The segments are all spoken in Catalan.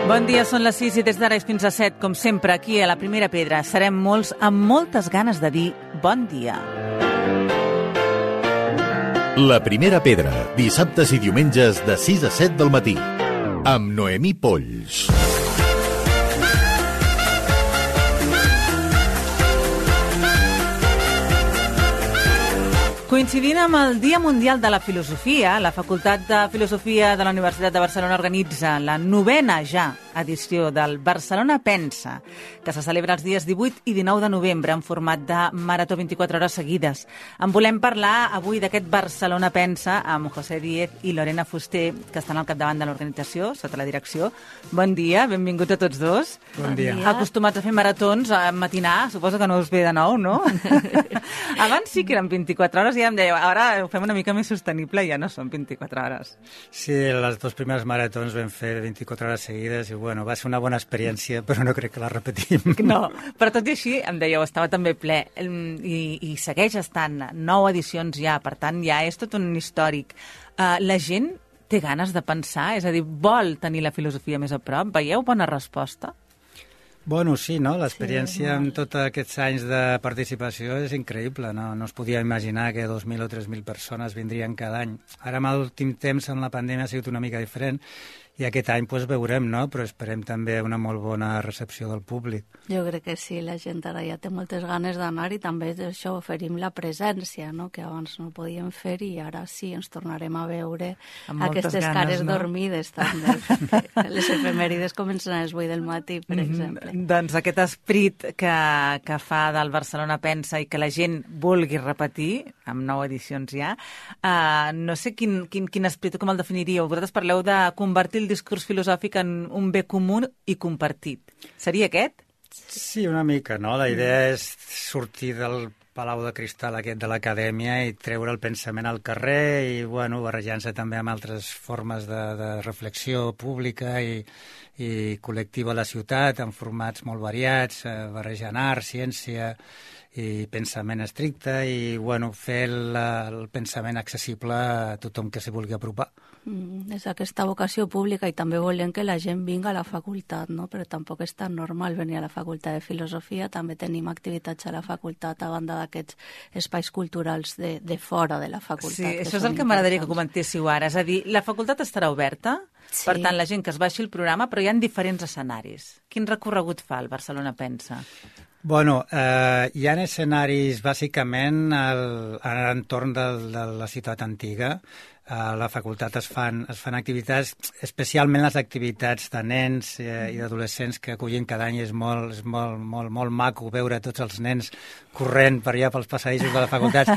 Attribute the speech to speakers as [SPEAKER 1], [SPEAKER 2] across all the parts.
[SPEAKER 1] Bon dia, són les 6 i des d'ara fins a 7, com sempre, aquí a la Primera Pedra. Serem molts amb moltes ganes de dir bon dia.
[SPEAKER 2] La Primera Pedra, dissabtes i diumenges de 6 a 7 del matí, amb Noemí Polls.
[SPEAKER 1] Coincidint amb el Dia Mundial de la Filosofia, la Facultat de Filosofia de la Universitat de Barcelona organitza la 9a ja edició del Barcelona Pensa, que se celebra els dies 18 i 19 de novembre en format de marató 24 hores seguides. En volem parlar avui d'aquest Barcelona Pensa amb José Díez i Lorena Fuster, que estan al capdavant de l'organització, sota la direcció. Bon dia, benvinguts a tots dos.
[SPEAKER 3] Bon dia.
[SPEAKER 1] Acostumats a fer maratons a matinar, suposo que no us ve de nou, no? Abans sí que eren 24 hores i ja em dèieu, ara ho fem una mica més sostenible i ja no són 24 hores.
[SPEAKER 3] Sí, les dues primeres maratons vam fer 24 hores seguides i bueno, va ser una bona experiència, però no crec que la repetim.
[SPEAKER 1] No, però tot i així, em dèieu, estava també ple i segueix estant 9 edicions ja, per tant ja és tot un històric. La gent té ganes de pensar, és a dir, vol tenir la filosofia més a prop? Veieu bona resposta?
[SPEAKER 3] Bueno, sí, no? L'experiència amb tots aquests anys de participació és increïble, no? No es podia imaginar que 2.000 o 3.000 persones vindrien cada any. Ara, amb l'últim temps, amb la pandèmia, ha sigut una mica diferent, i aquest any pues, veurem, no? Però esperem també una molt bona recepció del públic.
[SPEAKER 4] Jo crec que sí, la gent ara ja té moltes ganes d'anar i també això oferim la presència, no? Que abans no podíem fer i ara sí, ens tornarem a veure aquestes cares dormides també. Les efemèrides comencen a les 8 del matí, per exemple.
[SPEAKER 1] Doncs aquest esperit que fa del Barcelona Pensa i que la gent vulgui repetir, amb 9 edicions ja, no sé quin esperit, com el definiríeu? Vosaltres parleu de convertir el discurs filosòfic en un bé comú i compartit. Seria aquest?
[SPEAKER 3] Sí, una mica, no? La idea és sortir del palau de cristal aquest de l'acadèmia i treure el pensament al carrer i, bueno, barrejant-se també amb altres formes de reflexió pública i col·lectiva a la ciutat, en formats molt variats, barrejant art, ciència i pensament estricte i, bueno, fer el pensament accessible a tothom que s'hi vulgui apropar.
[SPEAKER 4] És aquesta vocació pública i també volem que la gent vingui a la facultat, no? Però tampoc és tan normal venir a la facultat de filosofia, també tenim activitats a la facultat a banda d'aquests espais culturals de fora de la facultat.
[SPEAKER 1] Sí, això és el que m'agradaria que comentéssiu ara, és a dir, la facultat estarà oberta, sí. Per tant la gent que es baixi el programa, però hi ha diferents escenaris. Quin recorregut fa el Barcelona Pensa?
[SPEAKER 3] Bueno, hi ha escenaris bàsicament a l'entorn de la ciutat antiga. A la facultat es fan activitats, especialment les activitats de nens i d'adolescents que acullen cada any. És molt maco veure tots els nens corrent per allà pels passadissos de la facultat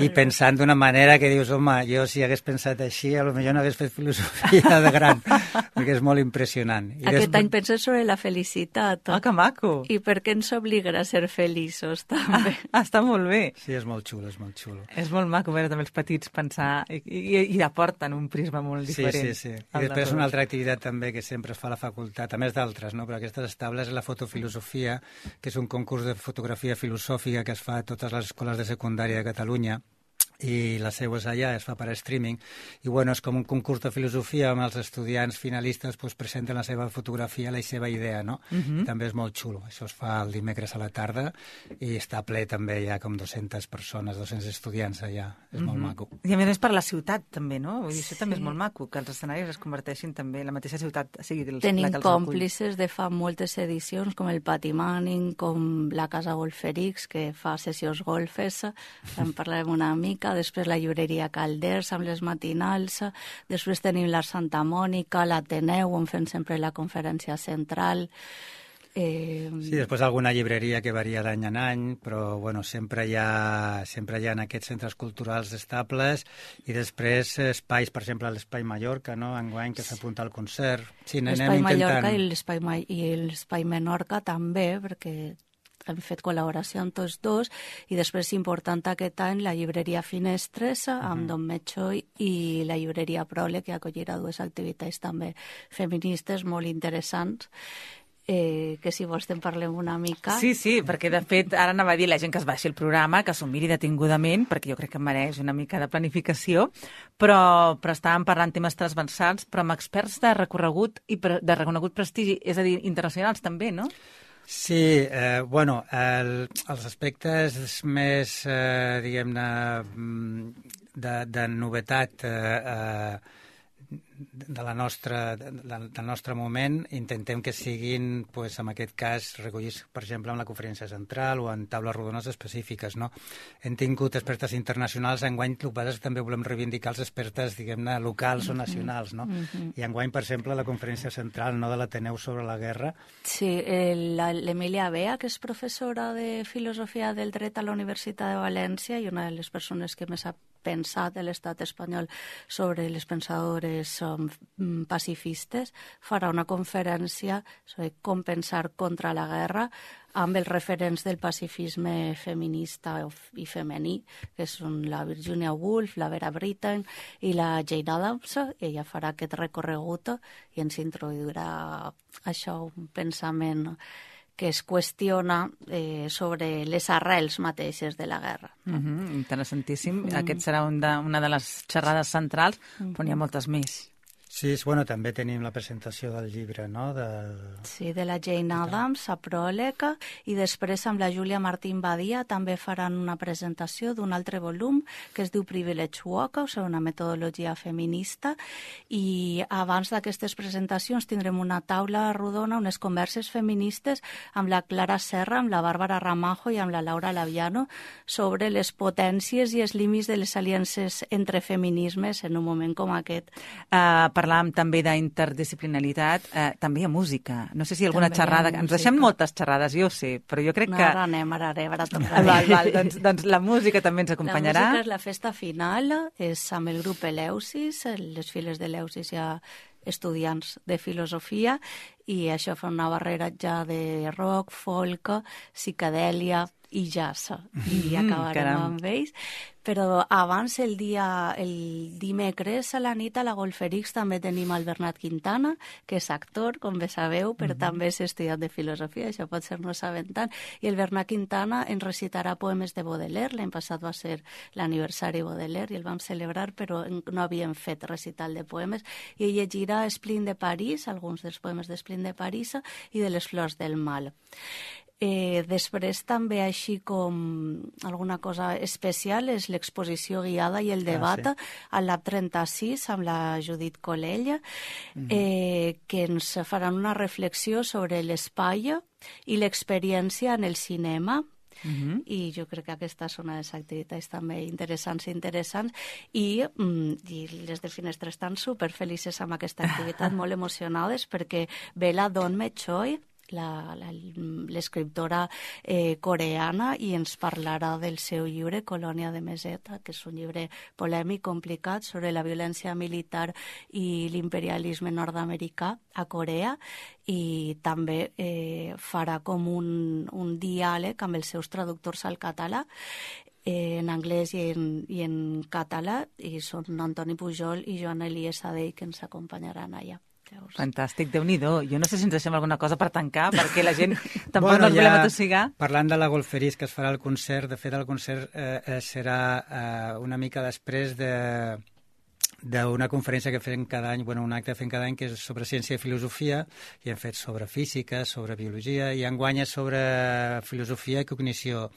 [SPEAKER 3] i pensant d'una manera que dius, home, jo si hagués pensat així, potser no hagués fet filosofia de gran, perquè és molt impressionant.
[SPEAKER 4] Aquest any penses sobre la felicitat.
[SPEAKER 1] Ah, que maco!
[SPEAKER 4] I per què ens obligarà a ser feliços, també.
[SPEAKER 1] Està molt bé.
[SPEAKER 3] Sí, és molt xulo, és molt xulo.
[SPEAKER 1] És molt maco veure també els petits pensar i aporten un prisma molt diferent.
[SPEAKER 3] Sí. I després una altra activitat també que sempre es fa a la facultat, a més d'altres, no? Però aquestes estables, és la fotofilosofia, que és un concurs de fotografia filosòfica que es fa a totes les escoles de secundària de Catalunya, i la seu és allà, es fa per streaming, i bueno, és com un concurs de filosofia on els estudiants finalistes pues, presenten la seva fotografia, la seva idea, no? També és molt xulo. Això es fa el dimecres a la tarda i està ple també, hi ha com 200 persones, 200 estudiants allà. És molt maco.
[SPEAKER 1] I a més per la ciutat també, no? Vull dir, això també és molt maco, que els escenaris es converteixin també en la mateixa ciutat.
[SPEAKER 4] Tenim còmplices de fa moltes edicions, com el Pati Manning, com la Casa Golferix, que fa sessions golfes, en parlarem una mica, després la llibreria Calders amb les matinals, després tenim la Santa Mònica, l'Ateneu, on fem sempre la conferència central.
[SPEAKER 3] Sí, després alguna llibreria que varia d'any en any, però bueno, sempre hi ha en aquests centres culturals estables i després espais, per exemple, l'Espai Mallorca, no? Enguany que s'apunta al concert. Sí,
[SPEAKER 4] l'Espai Mallorca i l'Espai Menorca també, perquè hem fet col·laboració amb tots dos, i després important aquest any la llibreria Finestres amb Don Metxo i la llibreria Prole, que acollirà dues activitats també feministes molt interessants. que si vols te'n parlem una mica.
[SPEAKER 1] Sí, perquè de fet ara anava a dir la gent que es baixi el programa, que s'ho miri detingudament, perquè jo crec que mereix una mica de planificació, però estàvem parlant temes transversals, però amb experts de recorregut i de reconegut prestigi, és a dir, internacionals també, no?
[SPEAKER 3] Sí, els aspectes més, diguem-ne, de novetat del nostre moment, intentem que siguin, en aquest cas, recollits, per exemple, en la conferència central o en taules rodones específiques, no? Hem tingut expertes internacionals, enguany el que passa és que també volem reivindicar els expertes, diguem-ne, locals o nacionals, no? I enguany, per exemple, la conferència central de l'Ateneu sobre la guerra.
[SPEAKER 4] Sí, l'Emília Bea, que és professora de Filosofia del Dret a la Universitat de València i una de les persones que més ha pensat a l'estat espanyol sobre les pensadores pacifistes, farà una conferència sobre com pensar contra la guerra amb els referents del pacifisme feminista i femení, que són la Virginia Woolf, la Vera Brittain i la Jane Addams. Ella farà aquest recorregut i ens introduirà això, un pensament que es qüestiona sobre les arrels mateixes de la guerra.
[SPEAKER 1] Interessantíssim. Aquest serà una de les xerrades centrals, però n'hi ha moltes més.
[SPEAKER 3] Sí, també tenim la presentació del llibre, no?
[SPEAKER 4] Sí, de la Jane Addams, a pròleg, i després amb la Júlia Martín Badia també faran una presentació d'un altre volum que es diu Privilege Walk, o sigui, una metodologia feminista, i abans d'aquestes presentacions tindrem una taula rodona, unes converses feministes amb la Clara Serra, amb la Bàrbara Ramajo i amb la Laura Laviano sobre les potències i els límits de les aliances entre feminismes en un moment com aquest.
[SPEAKER 1] Parlàvem també d'interdisciplinaritat, també hi ha música. No sé si alguna
[SPEAKER 4] també
[SPEAKER 1] xerrada... Ens deixem moltes xerrades, jo ho sé, però jo crec que...
[SPEAKER 4] Ara anem, ara tocarà.
[SPEAKER 1] Val, doncs la música també ens acompanyarà.
[SPEAKER 4] La música és la festa final, és amb el grup Eleusis, les files de Eleusis hi ha estudiants de filosofia, i això fa una barrera ja de rock, folk, psicadèlia i jazz, i acabarem amb ells. Però abans, el dimecres a la nit, a la Golferix també tenim el Bernat Quintana, que és actor, com bé sabeu, però també és estudiant de filosofia, això pot ser no sabent tant, i el Bernat Quintana ens recitarà poemes de Baudelaire. L'any passat va ser l'aniversari Baudelaire i el vam celebrar, però no havíem fet recital de poemes, i ell llegirà Esplin de París, alguns dels poemes d'Esplin de París i de les flors del mal. Després també, així com alguna cosa especial, és l'exposició guiada i el debat al Lab 36 amb la Judit Colell, que ens faran una reflexió sobre l'espai i l'experiència en el cinema. I jo crec que aquesta és una de les activitats també interessants i les de Finestres estan superfelices amb aquesta activitat, molt emocionades, perquè ve la Dawn Choi, l'escriptora coreana, i ens parlarà del seu llibre Colònia de Meseta, que és un llibre polèmic, complicat, sobre la violència militar i l'imperialisme nord-americà a Corea, i també farà com un diàleg amb els seus traductors al català, en anglès i en català, i són Antoni Pujol i Joan Elies Adell que ens acompanyaran allà.
[SPEAKER 1] Fantàstic, Déu-n'hi-do. Jo no sé si ens deixem alguna cosa per tancar, perquè la gent tampoc no ens volem atossigar.
[SPEAKER 3] Parlant de la Golferís, que es farà el concert, de fet el concert serà una mica després d'una conferència que fem cada any, un acte que fem cada any, que és sobre ciència i filosofia, i hem fet sobre física, sobre biologia, i enguany és sobre filosofia i cognició.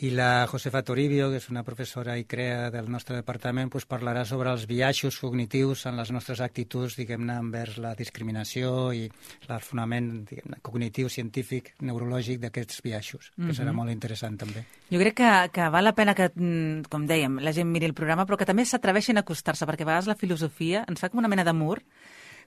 [SPEAKER 3] I la Josefa Toribio, que és una professora i crea del nostre departament, parlarà sobre els biaixos cognitius en les nostres actituds, diguem-ne, envers la discriminació i el fonament cognitiu, científic, neurològic d'aquests biaixos, que serà molt interessant també.
[SPEAKER 1] Jo crec que val la pena que, com dèiem, la gent miri el programa, però que també s'atreveixin a acostar-se, perquè a vegades la filosofia ens fa com una mena de mur,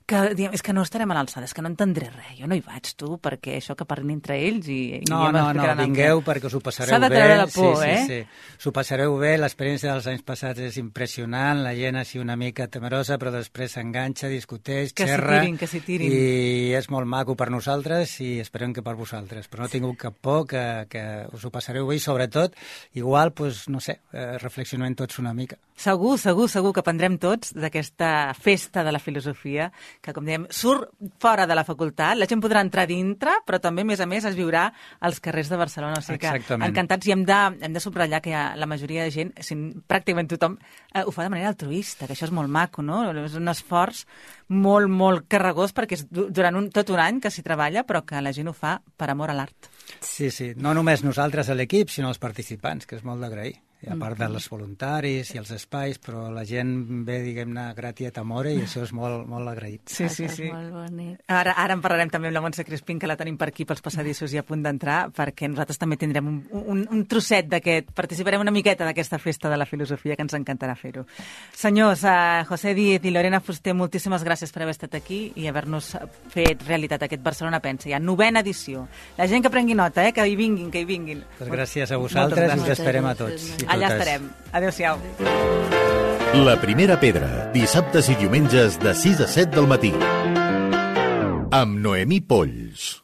[SPEAKER 1] que diem, és que no estarem a l'alçada, és que no entendré res, jo no hi vaig, tu, perquè això que parlin entre ells i
[SPEAKER 3] No, vingueu perquè us ho passareu bé.
[SPEAKER 1] S'ha de treure la por,
[SPEAKER 3] Sí. S'ho passareu bé, l'experiència dels anys passats és impressionant, la gent així una mica temerosa, però després s'enganxa, discuteix, xerra,
[SPEAKER 1] que s'hi tirin.
[SPEAKER 3] I és molt maco per nosaltres i esperem que per vosaltres, però no tingueu cap por, que us ho passareu bé i sobretot, igual, no sé, reflexionem tots una mica.
[SPEAKER 1] Segur que aprendrem tots d'aquesta festa de la filosofia que, com dèiem, surt fora de la facultat, la gent podrà entrar dintre, però també, a més, es viurà als carrers de Barcelona. O sigui que encantats, i hem de subratllar que la majoria de gent, pràcticament tothom, ho fa de manera altruista, que això és molt maco, no? És un esforç molt, molt carregós, perquè és durant tot un any que s'hi treballa, però que la gent ho fa per amor a l'art.
[SPEAKER 3] Sí, no només nosaltres a l'equip, sinó els participants, que és molt d'agrair. I a part dels voluntaris i els espais, però la gent ve, diguem-ne, gratiet amore, i això és molt, molt agraït.
[SPEAKER 1] Sí.
[SPEAKER 4] És molt bonic.
[SPEAKER 1] Ara en parlarem també amb la Montse Crespín, que la tenim per aquí pels passadissos i a punt d'entrar, perquè nosaltres també tindrem un trosset d'aquest, participarem una miqueta d'aquesta festa de la filosofia, que ens encantarà fer-ho. Senyors, José Díez i Lorena Fuster, moltíssimes gràcies per haver estat aquí i haver-nos fet realitat aquest Barcelona Pensa. Ja 9ª edició. La gent que prengui nota, que hi vinguin.
[SPEAKER 3] Pues gràcies a vosaltres i us esperem a tots.
[SPEAKER 1] Allà estarem. Adéu-siau.
[SPEAKER 2] La primera pedra, dissabtes i diumenges de 6 a 7 del matí. Amb Noemí Polls.